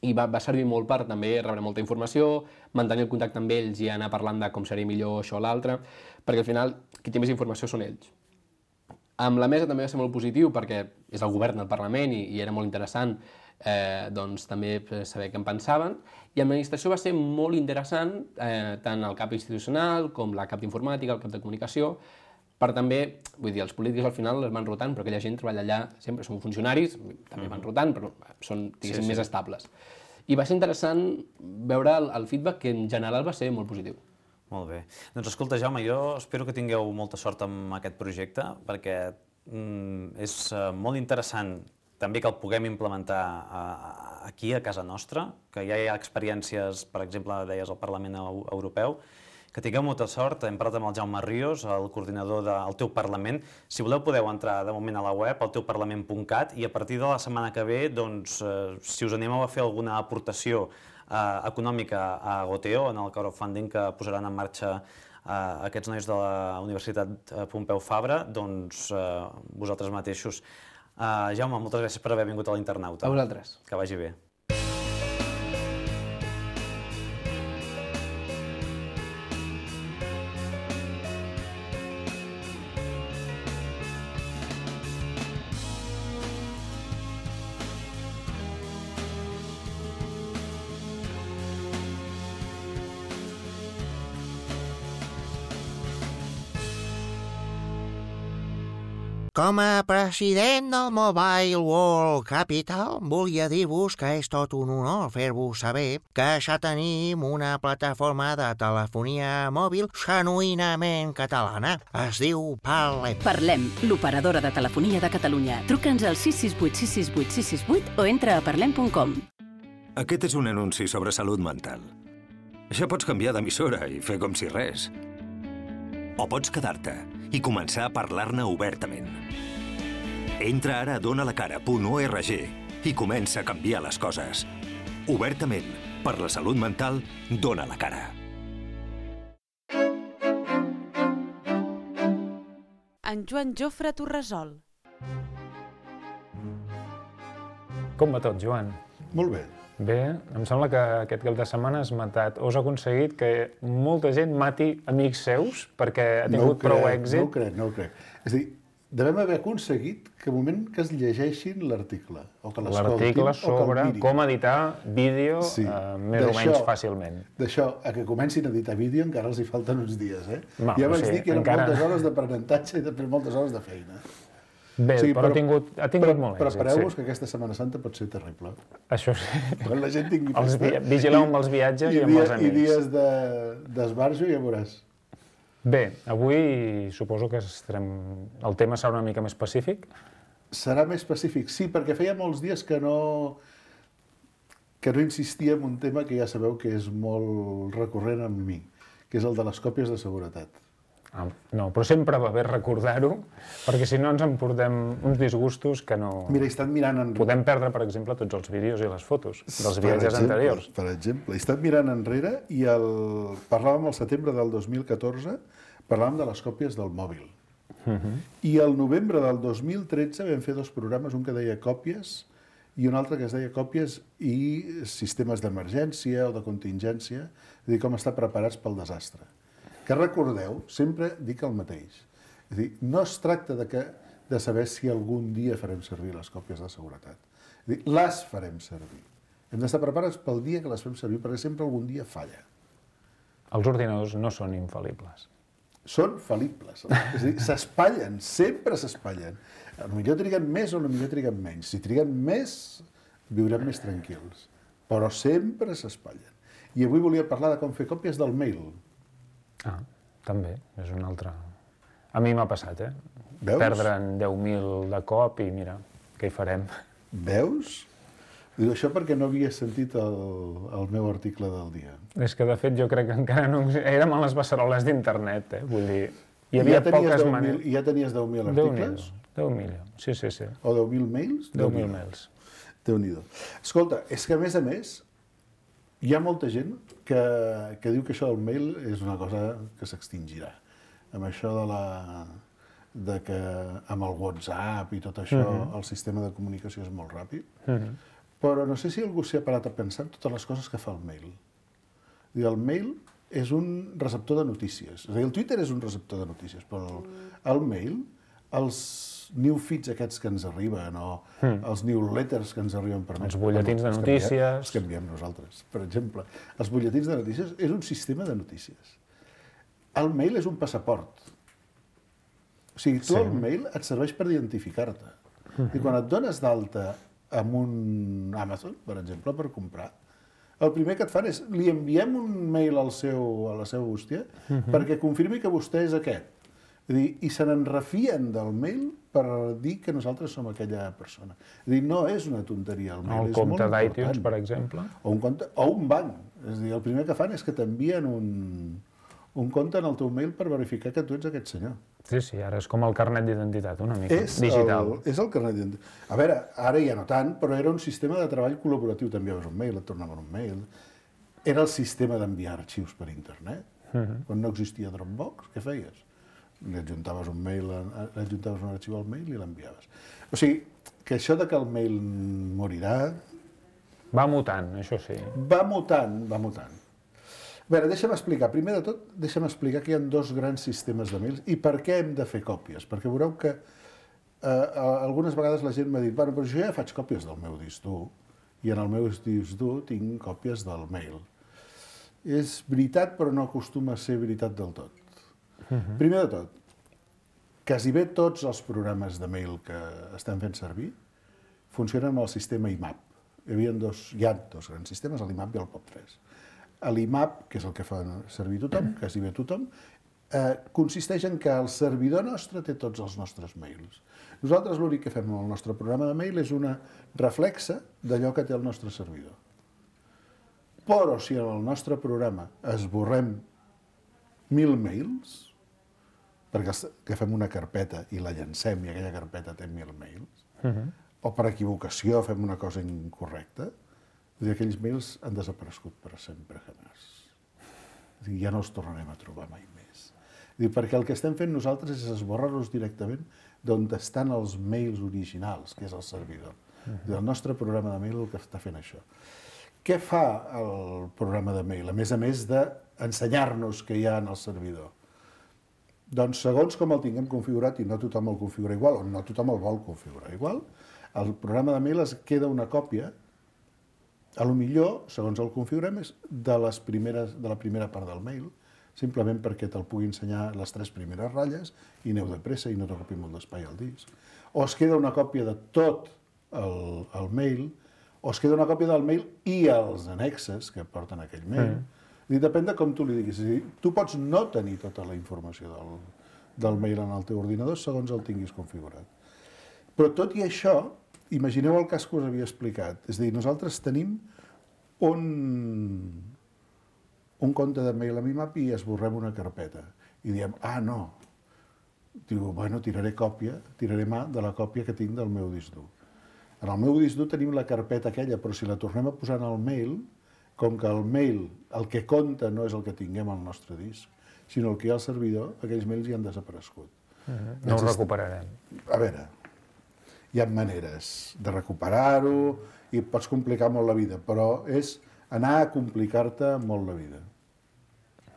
i va, va servir molt per també rebre molta informació, mantenir el contacte amb ells i anar parlant de com seria millor això o l'altre, perquè al final qui té més informació són ells. Amb la mesa també va ser molt positiu perquè és el govern del Parlament i, i era molt interessant Eh, doncs també saber què en pensaven, i amb l'administració va ser molt interessant, eh, tant el cap institucional com la cap d'informàtica, el cap de comunicació, per també, vull dir, els polítics al final es van rotant, però aquella gent treballa allà sempre, són funcionaris, també van rotant, però són, diguéssim, sí, sí. més estables. I va ser interessant veure el, el feedback, que en general va ser molt positiu. Molt bé. Doncs escolta, Jaume, jo espero que tingueu molta sort amb aquest projecte, perquè mm, és uh, molt interessant també que el puguem implementar aquí, a casa nostra, que ja hi ha experiències, per exemple, deies, al Parlament Europeu, que tingueu molta sort. Hem parlat amb el Jaume Ríos, el coordinador del Teu Parlament. Si voleu, podeu entrar de moment a la web, al teu parlament punt cat, i a partir de la setmana que ve, doncs, si us animeu a fer alguna aportació econòmica a Goteo, en el crowdfunding que posaran en marxa aquests nois de la Universitat Pompeu Fabra, doncs vosaltres mateixos. Uh, Jaume, moltes gràcies per haver vingut a l'Internauta. A vosaltres. Que vagi bé. Com a president del Mobile World Capital, volia dir-vos que és tot un honor fer-vos saber que ja tenim una plataforma de telefonia mòbil genuïnament catalana. Es diu Parlem. Parlem, l'operadora de telefonia de Catalunya. Truca'ns al sis sis vuit sis sis vuit sis sis vuit o entra a parlem punt com. Aquest és un anunci sobre salut mental. Ja pots canviar d'emissora i fer com si res. O pots quedar-te i començar a parlar-ne obertament. Entra ara a donalacara punt org i comença a canviar les coses. Obertament, per la salut mental, dona la cara. En Joan Jofre Torresol. Com va tot, Joan? Molt bé. Bé, em sembla que aquest cap de setmana has matat, o has aconseguit que molta gent mati amics seus perquè ha tingut prou èxit. No ho crec, no ho crec. És a dir, devem haver aconseguit que al moment que es llegeixin l'article, o que l'escoltin, l'article sobre com editar vídeo sí. eh, més o menys fàcilment. D'això a que comencin a editar vídeo encara els hi falten uns dies, eh? No, ja vaig sí, dir que eren encara... moltes hores d'aprenentatge i després moltes hores de feina. Bé, sí, però, però ha tingut, ha tingut però, molt èxit. Prepareu-vos sí. que aquesta Setmana Santa pot ser terrible. Això sí. Quan la gent tingui els festa... Vigileu amb els viatges i, i, i amb els amics. I dies d'esbarjo, ja veuràs. Bé, avui suposo que estarem... el tema serà una mica més pacífic? Serà més pacífic, sí, perquè feia molts dies que no... que no insistia en un tema que ja sabeu que és molt recurrent amb mi, que és el de les còpies de seguretat. Ah, no, però sempre va bé recordar-ho, perquè si no ens emportem uns disgustos que no... Mira, he estat mirant enrere... Podem perdre, per exemple, tots els vídeos i les fotos dels per viatges exemple, anteriors. Per exemple, he estat mirant enrere i el... parlàvem al setembre del dos mil catorze, parlàvem de les còpies del mòbil. Uh-huh. I al novembre del dos mil tretze vam fer dos programes, un que deia còpies i un altre que es deia còpies i sistemes d'emergència o de contingència, és a dir, com estar preparats pel desastre. Que recordeu, sempre dic el mateix. És a dir, no es tracta de, que, de saber si algun dia farem servir les còpies de seguretat. És a dir, les farem servir. Hem d'estar preparats pel dia que les fem servir, perquè sempre algun dia falla. Els ordinadors no són infal·libles. Són fal·libles. És a dir, s'espatllen, sempre s'espatllen. Potser triguen més o potser triguen menys. Si triguen més, viurem més tranquils. Però sempre s'espatllen. I avui volia parlar de com fer còpies del mail. Ah, també, és un altre... A mi m'ha passat, eh? Veus? Perdre'n deu mil de cop i mira, què hi farem? Veus? Dic això perquè no havia sentit el, el meu article del dia. És que, de fet, jo crec que encara no... Érem a les beceroles d'internet, eh? Vull dir, hi havia ja poques maneres... I ja tenies deu mil articles? deu mil, sí, sí, sí. O deu mil mails? deu mil mails. Déu-n'hi-do. Escolta, és que a més a més hi ha molta gent que, que diu que això del mail és una cosa que s'extingirà. Amb això de la... de que amb el WhatsApp i tot això, uh-huh. el sistema de comunicació és molt ràpid, uh-huh. però no sé si algú s'hi ha parat a pensar en totes les coses que fa el mail. I el mail és un receptor de notícies. És a dir, el Twitter és un receptor de notícies, però el, el mail, els new feeds aquests que ens arriben, o mm. els newsletters que ens arriben per mail... Els butlletins de notícies... Els que enviem nosaltres, per exemple. Els butlletins de notícies és un sistema de notícies. El mail és un passaport. O sigui, tu sí. el mail et serveix per identificar-te. Mm-hmm. I quan et dones d'alta amb un Amazon, per exemple, per comprar, el primer que et fan és li enviem un mail al seu, a la seva bústia mm-hmm. perquè confirmi que vostè és aquest. És dir, i se n'enrefien del mail per dir que nosaltres som aquella persona. És dir, no és una tonteria. El mail el compte d'iTunes, per exemple. O un, compte, o un banc. És dir, el primer que fan és que t'envien un, un compte en el teu mail per verificar que tu ets aquest senyor. Sí, sí, ara és com el carnet d'identitat, una mica, és digital. El, és el carnet d'identitat. A veure, ara ja no tant, però era un sistema de treball col·laboratiu. T'enviaves un mail, et tornaven un mail. Era el sistema d'enviar arxius per internet. Uh-huh. Quan no existia Dropbox, què feies? Li adjuntaves un mail, li adjuntaves un arxiu al mail i l'enviaves. O sigui, que això de que el mail morirà... Va mutant, això sí. Va mutant, va mutant. A veure, deixa'm explicar. Primer de tot, deixa'm explicar que hi ha dos grans sistemes de mails i per què hem de fer còpies. Perquè veureu que eh, algunes vegades la gent m'ha dit bueno, però jo ja faig còpies del meu disc dur i en el meu disc dur tinc còpies del mail. És veritat, però no acostuma a ser veritat del tot. Uh-huh. Primer de tot, quasi bé tots els programes de mail que estem fent servir funcionen amb el sistema I M A P. Hi havia dos, hi ha dos grans sistemes, l'I M A P i el POP tres. L'I M A P, que és el que fa servir tothom, quasi bé tothom, eh, consisteix en que el servidor nostre té tots els nostres mails. Nosaltres l'únic que fem amb el nostre programa de mail és una reflexa d'allò que té el nostre servidor. Però si en el nostre programa esborrem mil mails, perquè agafem una carpeta i la llancem i aquella carpeta té mil mails, uh-huh. o per equivocació fem una cosa incorrecta, aquells mails han desaparegut per sempre, jamás. Ja no els tornarem a trobar mai més. Perquè el que estem fent nosaltres és esborrar-los directament d'on estan els mails originals, que és el servidor. Uh-huh. El nostre programa de mail el que està fent això. Què fa el programa de mail, a més a més d'ensenyar-nos què hi ha en el servidor? Doncs segons com el tinguem configurat, i no tothom el configura igual, o no tothom el vol configurar igual, el programa de mail es queda una còpia, a lo millor, segons el configurem, és de, les primeres, de la primera part del mail, simplement perquè te'l pugui ensenyar les tres primeres ratlles i aneu de pressa i no t'ocupi molt d'espai al disc. O es queda una còpia de tot el, el mail, o es queda una còpia del mail i els annexes que porten aquell mail. Mm. I depèn de com tu li diguis. És a dir, tu pots no tenir tota la informació del, del mail en el teu ordinador segons el tinguis configurat. Però tot i això, imagineu el cas que us havia explicat. És a dir, nosaltres tenim un, un compte de mail amb I M A P i esborrem una carpeta. I diem, ah, no. Diu, bueno, tiraré còpia, tiraré mà de la còpia que tinc del meu disc dur. En el meu disc dur tenim la carpeta aquella, però si la tornem a posar en el mail, com que el mail, el que compta no és el que tinguem al nostre disc, sinó el que hi ha al servidor, aquells mails ja han desaparegut. Uh-huh. No ho recuperarem. A veure, hi ha maneres de recuperar-ho i pots complicar molt la vida, però és anar a complicar-te molt la vida.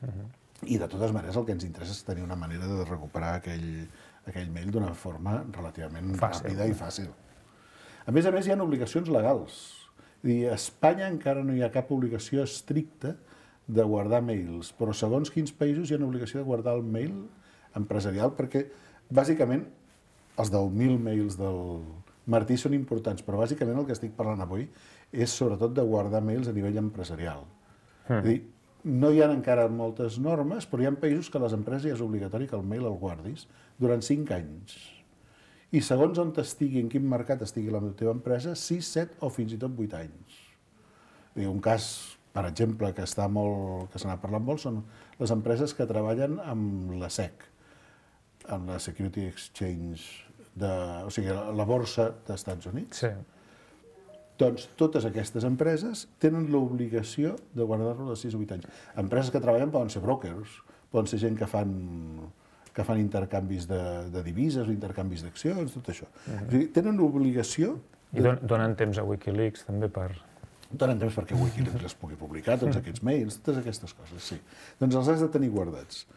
Uh-huh. I de totes maneres el que ens interessa és tenir una manera de recuperar aquell, aquell mail d'una forma relativament fàcil. Ràpida i fàcil. A més a més, hi ha obligacions legals. I a Espanya encara no hi ha cap obligació estricta de guardar mails, però segons quins països hi ha obligació de guardar el mail empresarial, perquè bàsicament els deu mil mails del Martí són importants, però bàsicament el que estic parlant avui és sobretot de guardar mails a nivell empresarial. Mm. És a dir, no hi ha encara moltes normes, però hi ha països que a les empreses ja és obligatori que el mail el guardis durant cinc anys. I segons on estigui, en quin mercat estigui la teva empresa, sis, set o fins i tot vuit anys. Un cas, per exemple, que està molt, que se n'ha parlat molt, són les empreses que treballen amb la S E C, amb la Security Exchange, de, o sigui, la borsa dels Estats Units. Sí. Doncs totes aquestes empreses tenen l'obligació de guardar-lo de sis a vuit anys. Empreses que treballen poden ser brokers, poden ser gent que fan, que fan intercanvis de, de divises o intercanvis d'accions, tot això. Uh-huh. O sigui, tenen l'obligació... I don donen temps a Wikileaks també per... Donen temps perquè Wikileaks les pugui publicar, tots aquests mails, totes aquestes coses, sí. Doncs els has de tenir guardats.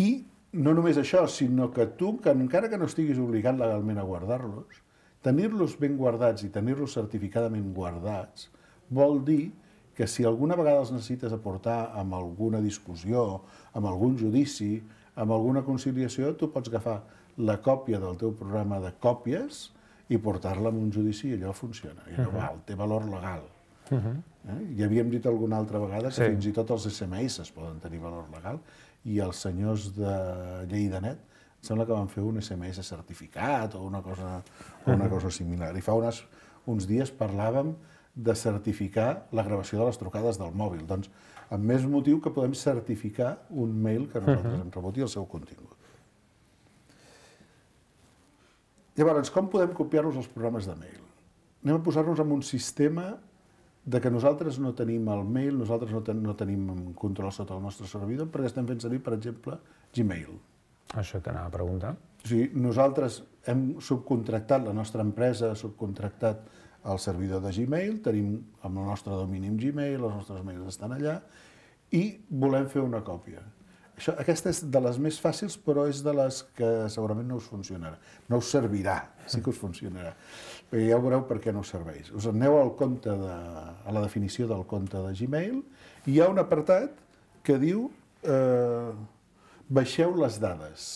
I no només això, sinó que tu, que encara que no estiguis obligat legalment a guardar-los, tenir-los ben guardats i tenir-los certificadament guardats vol dir que si alguna vegada els necessites aportar amb alguna discussió, amb algun judici, amb alguna conciliació, tu pots agafar la còpia del teu programa de còpies i portar-la a un judici i allò funciona. I allò val, té valor legal. Uh-huh. eh? Ja havíem dit alguna altra vegada que sí. Fins i tot els esse eme esse poden tenir valor legal i els senyors de Lleida.net sembla que van fer un esse eme esse certificat o una cosa, o una cosa similar. I fa unes, uns dies parlàvem de certificar la gravació de les trucades del mòbil. Doncs, amb més motiu que podem certificar un mail que nosaltres hem rebut i el seu contingut. Llavors, com podem copiar-nos els programes de mail? Anem a posar-nos en un sistema de que nosaltres no tenim el mail, nosaltres no, ten, no tenim control sota el nostre servidor perquè estem fent servir, per exemple, Gmail. Això t'anava a preguntar. O sigui, nosaltres hem subcontractat, la nostra empresa ha subcontractat el servidor de Gmail, tenim amb el nostre domini en Gmail, els nostres mails estan allà, i volem fer una còpia. Això, aquesta és de les més fàcils, però és de les que segurament no us funcionarà. No us servirà, sí que us funcionarà. Perquè ja veureu per què no us serveix. Us aneu al compte de, a la definició del compte de Gmail i hi ha un apartat que diu eh, baixeu les dades.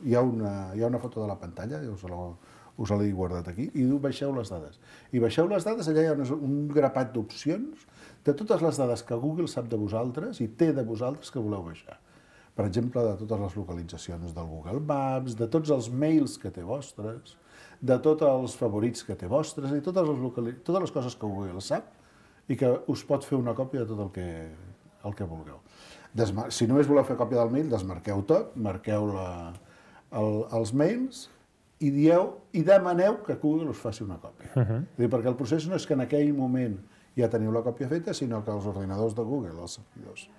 Hi ha, una, hi ha una foto de la pantalla, us l'he guardat aquí, i diu baixeu les dades. I baixeu les dades, allà hi ha un grapat d'opcions de totes les dades que Google sap de vosaltres i té de vosaltres que voleu baixar. Per exemple, de totes les localitzacions del Google Maps, de tots els mails que té vostres, de tots els favorits que té vostres, i totes les, locali... totes les coses que Google sap i que us pot fer una còpia de tot el que, el que vulgueu. Desmar... Si només voleu fer còpia del mail, desmarqueu tot, marqueu la... el... els mails i dieu i demaneu que Google us faci una còpia. Uh-huh. Dir, perquè el procés no és que en aquell moment ja teniu la còpia feta, sinó que els ordinadors de Google, els servidors,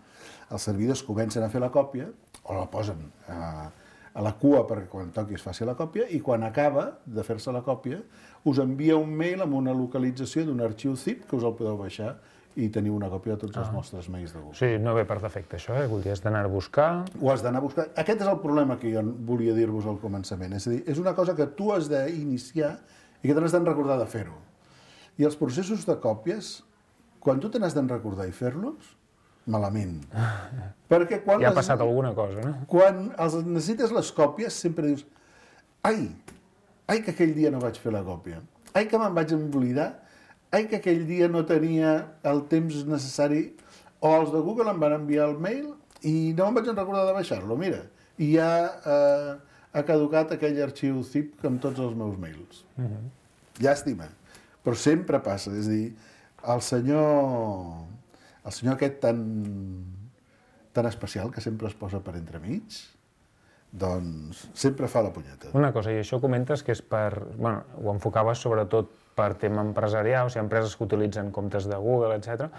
els servidors comencen a fer la còpia, o la posen a, a la cua perquè quan toqui es faci la còpia, i quan acaba de fer-se la còpia, us envia un mail amb una localització d'un arxiu zip que us el podeu baixar i teniu una còpia de tots els vostres mails de Google. Sí, no ve per defecte això, eh? Vull dir, has d'anar a buscar... Ho has d'anar a buscar. Aquest és el problema que jo volia dir-vos al començament. És a dir, és una cosa que tu has d'iniciar i que te n'has d'en recordar de fer-ho. I els processos de còpies, quan tu te n'has d'en recordar i fer-los, malament. Perquè quan ja ha les... passat alguna cosa, no? Quan els necessites les còpies, sempre dius ai, ai que aquell dia no vaig fer la còpia, ai que me'n vaig oblidar, ai que aquell dia no tenia el temps necessari, o els de Google em van enviar el mail i no me'n vaig recordar de baixar-lo, mira, i ja eh, ha caducat aquell arxiu zip amb tots els meus mails. Uh-huh. Llàstima, però sempre passa, és a dir, el senyor... El senyor aquest tan, tan especial que sempre es posa per entremig, doncs sempre fa la punyeta. Una cosa, i això comentes que és per... Bueno, ho enfocaves sobretot per tema empresarial, o sigui, empreses que utilitzen comptes de Google, etcètera.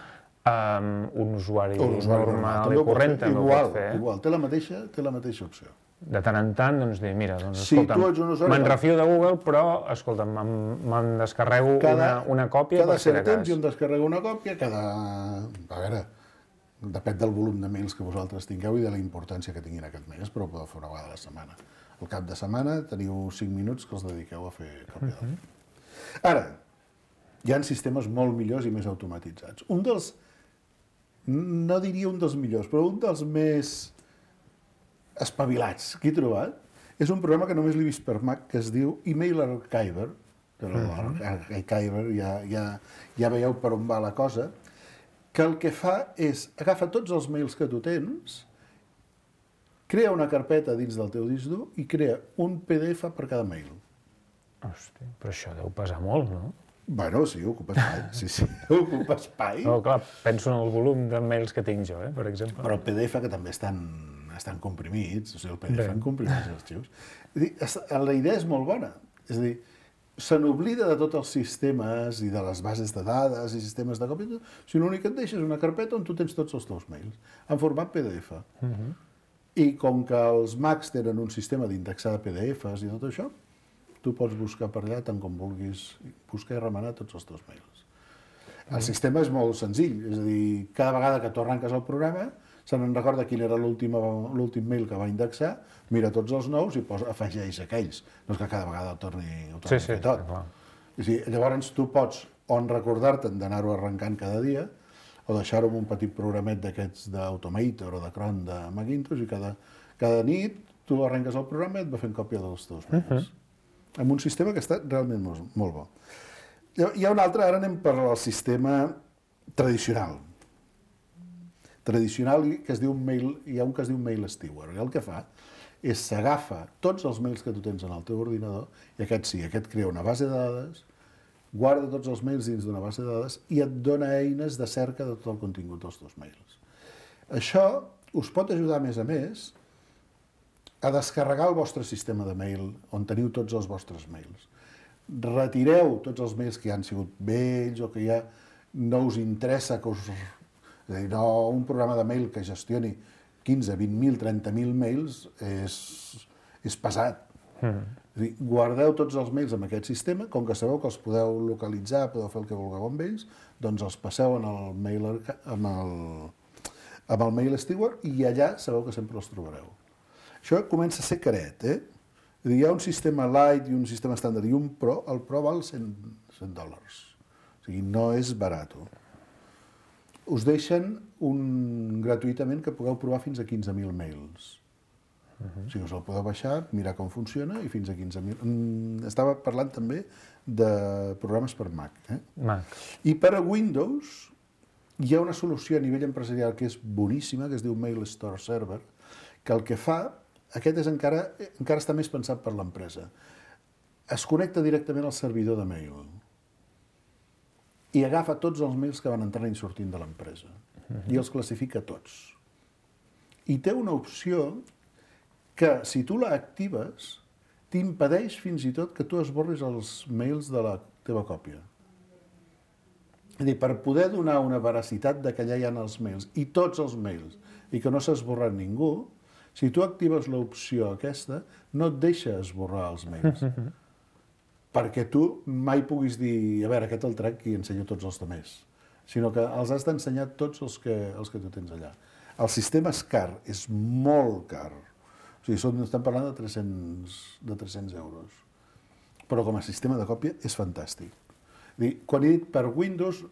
Um, un usuari, un usuari normal i corrent també ho pot fer. Igual, té la mateixa, té la mateixa opció. De tant en tant, doncs, dir, mira, doncs, si escolta'm, me'n refio de Google, però, escolta'm, me'n descarrego cada, una, una còpia cada per si de cas. Cada cert temps jo em descarrego una còpia, cada... A veure, depèn del volum de mails que vosaltres tingueu i de la importància que tinguin aquests mails, però ho podeu fer una vegada a la setmana. Al cap de setmana teniu cinc minuts que els dediqueu a fer còpia. Uh-huh. Ara, hi ha sistemes molt millors i més automatitzats. Un dels, no diria un dels millors, però un dels més espavilats que he trobat, és un programa que només l'he vist per Mac, que es diu Email Archiver, però l'Archiver ja, ja, ja veieu per on va la cosa, que el que fa és, agafa tots els mails que tu tens, crea una carpeta dins del teu disc dur i crea un P D F per cada mail. Hòstia, però això deu pesar molt, no? Bueno, sí, ocupa espai, sí, sí, ocupa espai. No, clar, penso en el volum de mails que tinc jo, eh, per exemple. Però el P D F que també estan, estan comprimits, o sigui, el P D F en comprimits els arxius. És a dir, la idea és molt bona, és a dir, se n'oblida de tots els sistemes i de les bases de dades i sistemes de còpia, sinó l'únic que et deixes una carpeta on tu tens tots els teus mails, en format P D F. Uh-huh. I com que els Macs tenen un sistema d'indexar de P D Fs i tot això, tu pots buscar per allà tant com vulguis, buscar i remenar tots els teus mails. El sistema és molt senzill, és a dir, cada vegada que tu arranques el programa, se n'en recorda quin era l'últim mail que va indexar, mira tots els nous i posa, afegeix aquells. No és que cada vegada ho torni, ho torni sí, sí, a fer sí, tot. clar. És a dir, llavors tu pots on recordar-te'n d'anar-ho arrencant cada dia, o deixar-ho amb un petit programet d'aquests d'Automator o de Cron de Macintosh, i cada, cada nit tu arrenques el programa i et va fent còpia dels teus mails. Uh -huh. Amb un sistema que està realment molt, molt bo. Hi ha un altre, ara anem per al sistema tradicional. Tradicional, que es diu mail, hi ha un que es diu Mail Steward. I el que fa és s'agafa tots els mails que tu tens en el teu ordinador, i aquest sí, aquest crea una base de dades, guarda tots els mails dins d'una base de dades i et dona eines de cerca de tot el contingut dels teus mails. Això us pot ajudar, a més a més, a descarregar el vostre sistema de mail, on teniu tots els vostres mails. Retireu tots els mails que ja han sigut vells o que ja no us interessa que us... És a dir, no, un programa de mail que gestioni quinze, vint mil, trenta mil mails és, és pesat. Mm. És a dir, guardeu tots els mails en aquest sistema, com que sabeu que els podeu localitzar, podeu fer el que vulgueu amb ells, doncs els passeu en el mail, amb el, amb el Mail Steward i allà sabeu que sempre els trobareu. Això comença a ser caret, eh? És a dir, hi ha un sistema light i un sistema estàndard i un pro, el pro val cent dòlars. O sigui, no és barat. Us deixen un gratuïtament que pugueu provar fins a quinze mil mails. Uh-huh. O sigui, us el podeu baixar, mirar com funciona i fins a quinze mil. Mm, estava parlant també de programes per Mac. Eh? Mac. I per a Windows hi ha una solució a nivell empresarial que és boníssima, que es diu Mail Store Server, que el que fa, aquest és encara, encara està més pensat per l'empresa. Es connecta directament al servidor de mail i agafa tots els mails que van entrant i sortint de l'empresa uh-huh. i els classifica tots. I té una opció que, si tu la actives, t'impedeix fins i tot que tu esborris els mails de la teva còpia. És a dir, per poder donar una veracitat de que allà hi ha els mails, i tots els mails, i que no s'ha esborrat ningú, si tu actives l'opció aquesta, no et deixa esborrar els mails. Perquè tu mai puguis dir, a veure, aquest el trec i ensenyo tots els altres, sinó que els has d'ensenyar tots els que, els que tu tens allà. El sistema és car, és molt car. O sigui, són, estem parlant de tres-cents, de tres-cents euros. Però com a sistema de còpia és fantàstic. Dir, quan he dit per Windows,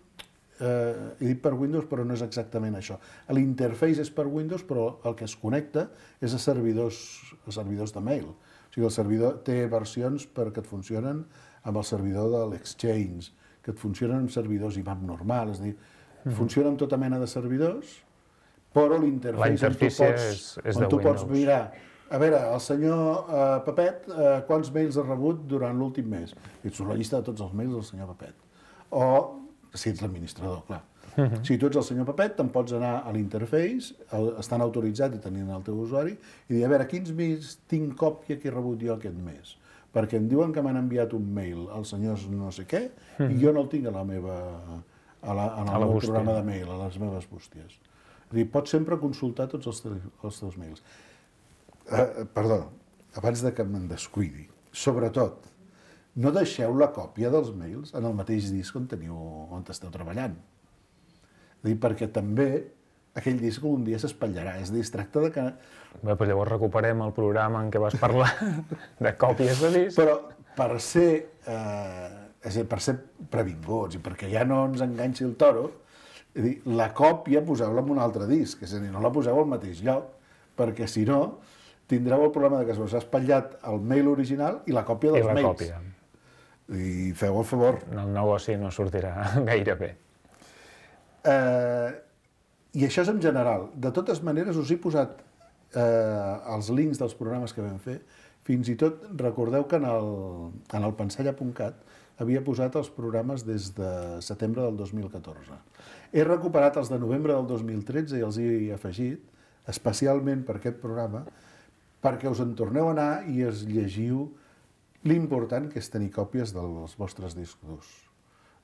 eh, he dit per Windows, però no és exactament això. L'interface és per Windows, però el que es connecta és a servidors, a servidors de mail. O sigui, el servidor té versions perquè et funcionen amb el servidor de l'Exchange, que et funcionen amb servidors I M A P normal, és a dir, mm-hmm. funciona amb tota mena de servidors, però l'interface on tu pots, és, és on tu de pots mirar, a veure, el senyor uh, Pepet, uh, quants mails ha rebut durant l'últim mes? I et surt la llista de tots els mails del senyor Pepet. O, si ets l'administrador, clar. Uh-huh. Si tu ets el senyor Pepet, te'n pots anar a l'interface, estan autoritzats i tenint el teu usuari, i dir, a veure, quins mails tinc còpia que he rebut jo aquest mes? Perquè em diuen que m'han enviat un mail als senyors no sé què, uh-huh. i jo no el tinc a la meva, a la, en el meu programa de mail, a les meves bústies. És a dir, pots sempre consultar tots els, te els teus mails. Uh, perdó, abans de que me'n descuidi, sobretot, no deixeu la còpia dels mails en el mateix disc on teniu, on esteu treballant. És a dir, perquè també aquell disc un dia s'espatllarà, és a dir, es tracta de que... Bé, però llavors recuperem el programa en què vas parlar de còpies de disc. Però per ser, eh, és a dir, per ser previnguts i perquè ja no ens enganxi el toro, és a dir, la còpia poseu-la en un altre disc, és a dir, no la poseu al mateix lloc, perquè si no tindreu el problema de que us ha espatllat el mail original i la còpia dels I la mails. Còpia. I feu el favor. El negoci no sortirà gaire bé. Eh, I això és en general. De totes maneres, us he posat eh, els links dels programes que vam fer. Fins i tot recordeu que en el, en el pensalla punt cat havia posat els programes des de setembre del dos mil catorze. He recuperat els de novembre del dos mil tretze i els he afegit, especialment per aquest programa, perquè us en torneu a anar i es llegiu l'important que és tenir còpies dels vostres discs durs.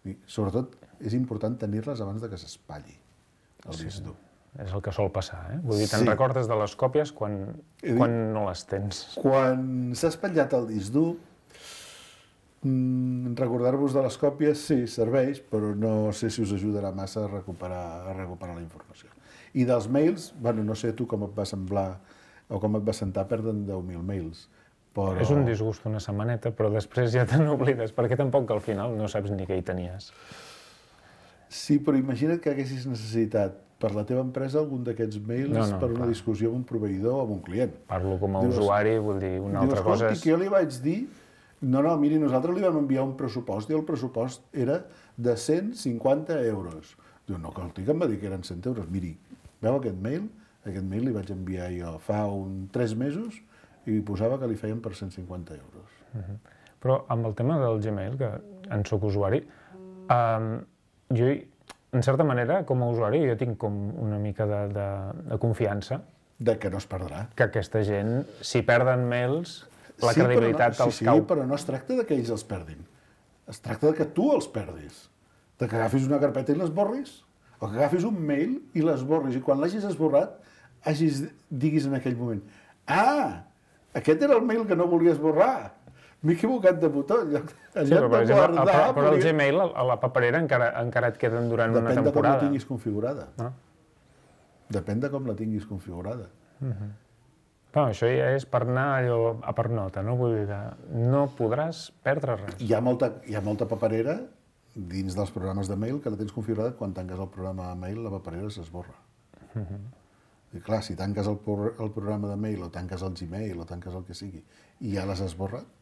I, sobretot, és important tenir-les abans de que s'espatlli el sí, disc dur. És el que sol passar, eh? Vull dir, te'n sí. recordes de les còpies quan, quan no les tens. Quan s'ha espatllat el disc dur, mm, recordar-vos de les còpies sí, serveix, però no sé si us ajudarà massa a recuperar, a recuperar la informació. I dels mails, bueno, no sé tu com et va semblar o com et va sentar perdre'n deu mil mails. Però... És un disgust una setmaneta, però després ja te n'oblides, perquè tampoc al final no saps ni què hi tenies. Sí, però imagina't que haguessis necessitat per la teva empresa algun d'aquests mails no, no, per una clar. discussió amb un proveïdor o amb un client. Parlo com a dius, usuari, vull dir, una dius, altra cosa és... que jo li vaig dir, no, no, miri, nosaltres li vam enviar un pressupost i el pressupost era de cent cinquanta euros. Diu, no, que el tic em va dir que eren cent euros. Miri, veu aquest mail? Aquest mail li vaig enviar jo fa un tres mesos i posava que li feien per cent cinquanta euros. Uh-huh. Però amb el tema del Gmail, que en soc usuari, um, jo, en certa manera, com a usuari, jo tinc com una mica de, de, de confiança. De que no es perdrà. Que aquesta gent, si perden mails, la sí, credibilitat no, els sí, cau. Sí, però no es tracta de que ells els perdin. Es tracta de que tu els perdis. De que agafis una carpeta i l'esborris. O que agafis un mail i l'esborris. I quan l'hagis esborrat, hagis, diguis en aquell moment, ah, aquest era el mail que no volia esborrar. M'he equivocat de botó. En lloc, en sí, lloc però, de exemple, guardar... el, però el Gmail, a la paperera, encara, encara et queden durant Depèn una temporada. Depèn de com la tinguis configurada. No? Depèn de com la tinguis configurada. Uh-huh. Però això ja és per anar allò a per nota, no? Vull dir que no podràs perdre res. Hi ha molta, hi ha molta paperera dins dels programes de mail que la tens configurada, quan tanques el programa de mail la paperera s'esborra. Uh-huh. I clar, si tanques el, el programa de mail o tanques el Gmail o tanques el que sigui i ja l'has esborrat...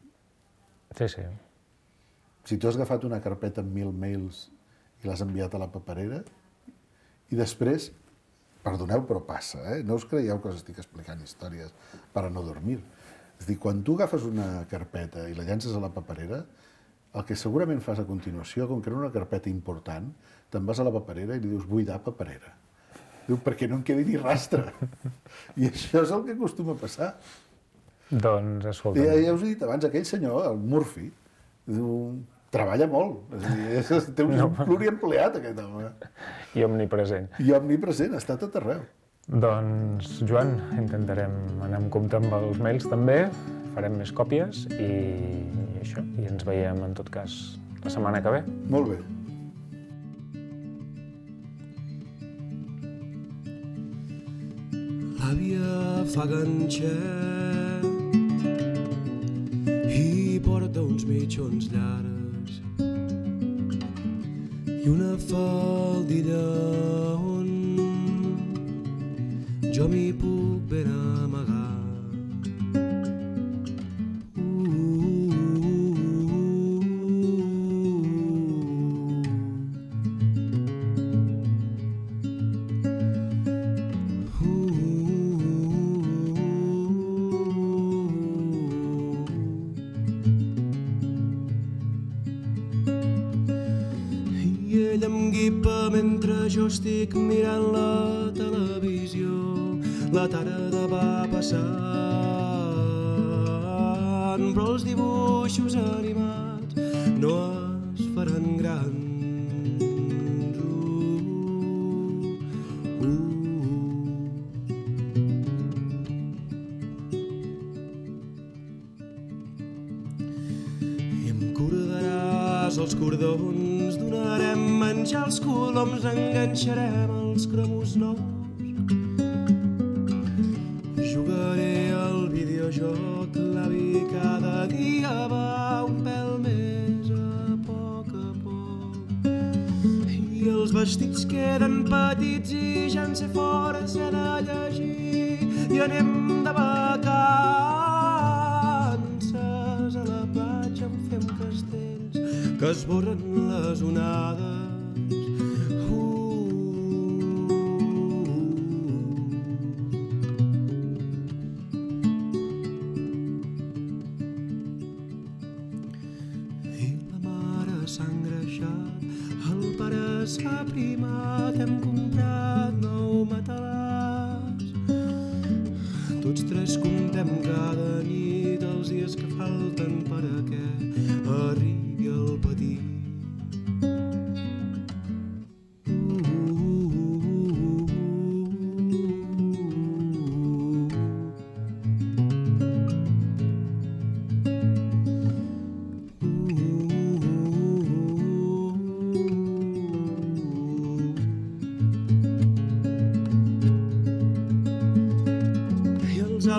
Sí, sí. Si tu has agafat una carpeta amb mil mails i l'has enviat a la paperera i després, perdoneu però passa, eh? No us creieu que us estic explicant històries per a no dormir. És a dir, quan tu agafes una carpeta i la llances a la paperera, el que segurament fas a continuació, com que era una carpeta important, te'n vas a la paperera i li dius buidar paperera. Diu, perquè no en quedi ni rastre. I això és el que acostuma a passar. Doncs, escolta... Ja, ja us he dit abans, aquell senyor, el Murphy, diu, treballa molt. És a dir, és, té un no. pluriempleat, aquest home. I omnipresent. I omnipresent, està tot arreu. Doncs, Joan, intentarem anar amb compte amb els mails també, farem més còpies i, i això, i ens veiem, en tot cas, la setmana que ve. Molt bé. L'àvia fa ganxet i porta uns mitjons llargs i una faldilla on jo m'hi puc ben amagar. Estic mirant la televisió, la tarda va passant, però els dibuixos animats no es faran grans. Uh, uh. I em cordaràs els cordons, donarem menjar als coloms, enganxarem els cromos nous. Jugaré al videojoc, l'avi cada dia va un pèl més a poc a poc. I els vestits queden petits i ja en sé fora, sé de llegir i anem de vacances a la platja, en fem castells que esborren les onades. S'ha primat, hem comprat nou matalàs. Tots tres comptem cada nit els els dies que falten per a que arribi el petit.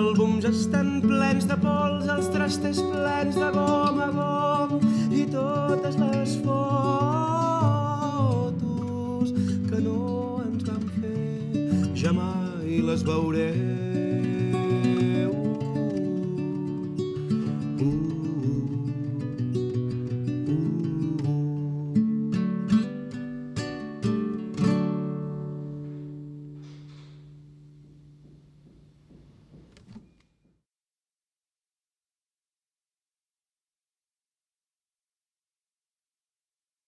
Àlbums estan plens de pols, els trastes plens de gom a gom i totes les fotos que no ens van fer ja mai les veurem.